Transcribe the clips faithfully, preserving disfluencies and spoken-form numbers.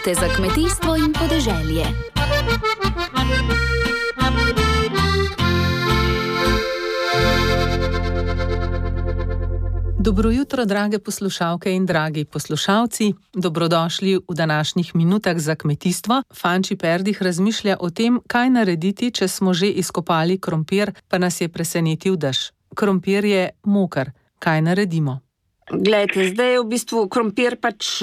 Minute za kmetijstvo in podeželje. Dobro jutro, drage poslušalke in dragi poslušalci. Dobrodošli v današnjih minutah za kmetijstvo. Fanči Perdih razmišlja o tem, kaj narediti, če smo že izkopali krompir, pa nas je presenetil dež. Krompir je moker. Kaj naredimo? Glejte, zdaj v bistvu krompir pač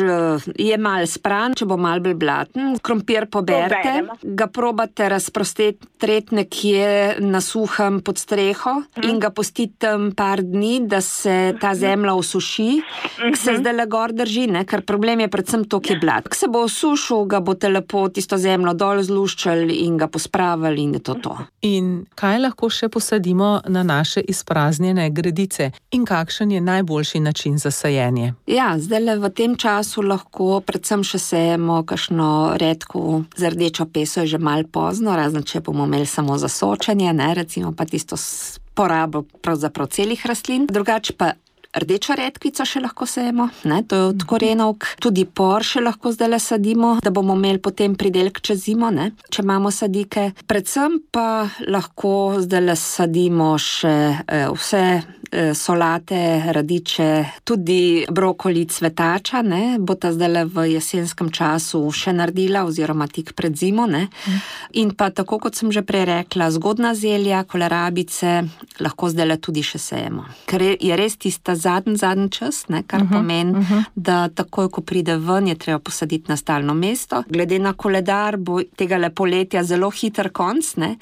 je mal spran, če bo mal bolj blaten. Krompir poberte, ga probate razprostret nekje na suhem pod streho in ga pustite tam par dni, da se ta zemlja osuši, ki se zdaj le gor drži, ne? Ker problem je predvsem to, ki je blat. Ko se bo osušil, ga boste lepo tisto zemljo dol zluščali in ga pospravili in je to to. In kaj lahko še posadimo na naše izpraznjene gredice? In kakšen je najboljši način za sajenje? Ja, zdaj v tem času lahko predvsem še sejemo kakšno redko z rdečo peso, je že malo pozno, razen če bomo imeli samo za sočenje, ne, recimo pa tisto porabo pravzaprav celih rastlin. Drugače pa rdečo redkvico še lahko sejemo, ne, to je od korenovk. Tudi por še lahko zdajle sadimo, da bomo imeli potem pridelek čez zimo, ne, če imamo sadike. Predvsem pa lahko zdajle sadimo še eh, vse eh, solate, radiče, tudi brokoli, cvetača, ne, bo ta zdajle v jesenskem času še naredila oziroma tik pred zimo, ne. In pa tako, kot sem že prej rekla, zgodna zelja, kolerabice, lahko zdajle tudi še sejemo. Ker je res tista zadnji, zadnji čas, ne, kar uh-huh, pomeni, uh-huh. da takoj, ko pride ven, je treba posaditi na stalno mesto. Glede na koledar bo tega poletja zelo hiter konc, ne,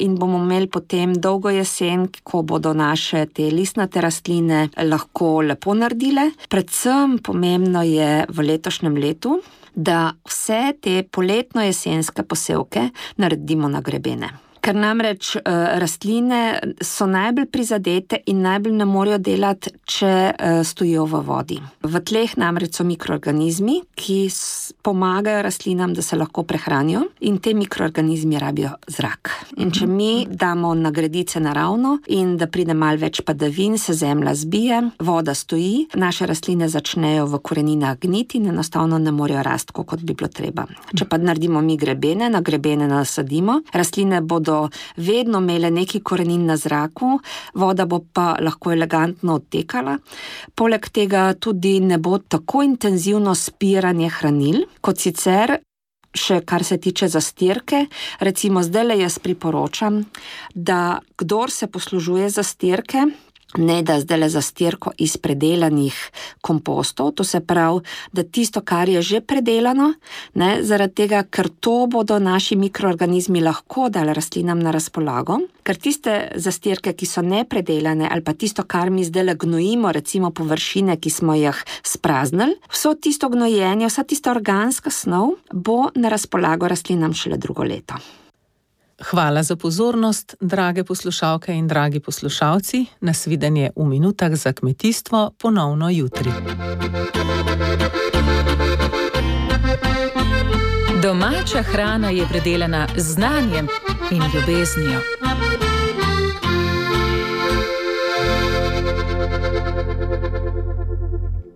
in bomo imeli potem dolgo jesen, ko bodo naše te listnate rastline lahko lepo naredile. Predvsem pomembno je v letošnjem letu, da vse te poletno-jesenske posevke naredimo na grebene. Ker namreč uh, rastline so najbolj prizadete in najbolj ne morejo delati, če uh, stojijo v vodi. V tleh namreč so mikroorganizmi, ki s- pomagajo rastlinam, da se lahko prehranijo, in te mikroorganizmi rabijo zrak. In če mi damo na gredice naravno in da pride malo več padavin, se zemlja zbije, voda stoji, naše rastline začnejo v koreninah gniti in enostavno ne morejo rasti, kot bi bilo treba. Če pa naredimo mi grebene, na grebene nasadimo, rastline bodo vedno imele neki korenin na zraku, voda bo pa lahko elegantno odtekala. Poleg tega tudi ne bo tako intenzivno spiranje hranil, kot sicer še kar se tiče zastirke. Recimo zdajle jaz priporočam, da kdor se poslužuje zastirke, ne da zdajle zastirko iz predelanih kompostov, to se pravi, da tisto, kar je že predelano, ne, zaradi tega, ker to bodo naši mikroorganizmi lahko dali rastlinam na razpolago, ker tiste zastirke, ki so nepredelane, ali pa tisto, kar mi zdajle gnojimo, recimo površine, ki smo jih spraznili, vso tisto gnojenje, vsa tista organska snov bo na razpolago rastlinam šele drugo leto. Hvala za pozornost, drage poslušalke in dragi poslušalci. Nasvidenje v minutah za kmetijstvo ponovno jutri. Domača hrana je predelana z znanjem in ljubeznijo.